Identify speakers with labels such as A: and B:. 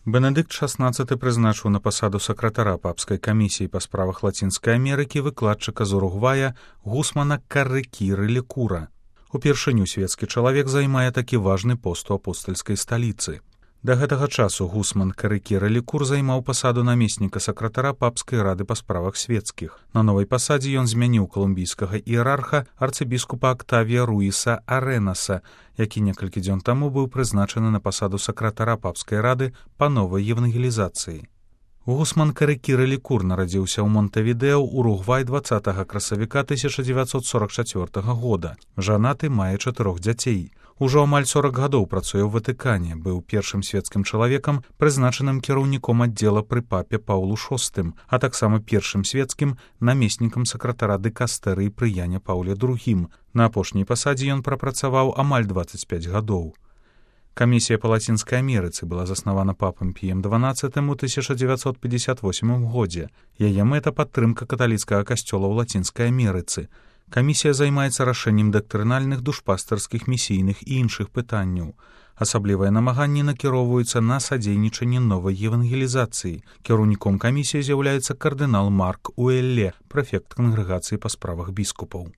A: Бенедыкт XVI прызначыў на пасаду сакратара папскай камісіі па справах Лацінскай Амерыкі выкладчыка з Уругвая Гусмана Каррекіры Лекура. Упершыню свецкі чалавек займае такі важны пост у апостальскай сталіцы. Да гэтага часу Гусман Каррекіра Лекур займаў пасаду намесніка сакратара папскай рады па справах свецкіх. На новай пасадзе ён змяніў калумбійскага іерарха арцыбіскупа Актавія Руіса Арэнаса, які некалькі дзён таму быў прызначаны на пасаду сакратара папскай рады па новай евангелізацыі. Гусман Каррекіра Лекур нарадзіўся ў Монтевідео, Уругвай 20 красавіка 1944 года. Жанаты, мае 4 дзяцей. Ужо амаль 40 гадоў працуе ў Ватыкане, быў першым свецкім чалавекам, прызначаным кіраўніком аддзела пры папе Паўлу VI, а таксама першым свецкім намеснікам сакратара дыкастэрыі пры Яне Паўле II. На апошняй пасадзе ён прапрацаваў амаль 25 гадоў. Камісія па Лацінскай Амерыцы была заснавана папам Піем XII у 1958 годзе. Яе мэта — падтрымка каталіцкага касцёла ў Лацінскай Амерыцы. Камісія займаецца рашэннем дактрынальных, душпастарскіх, місійных і іншых пытанняў. Асаблівыя намаганні накіроўваюцца на садзейнічанне новай евангелізацыі. Кіраўніком камісіі з'яўляецца кардынал Марк Уэлле, прэфект кангрэгацыі па справах біскупаў.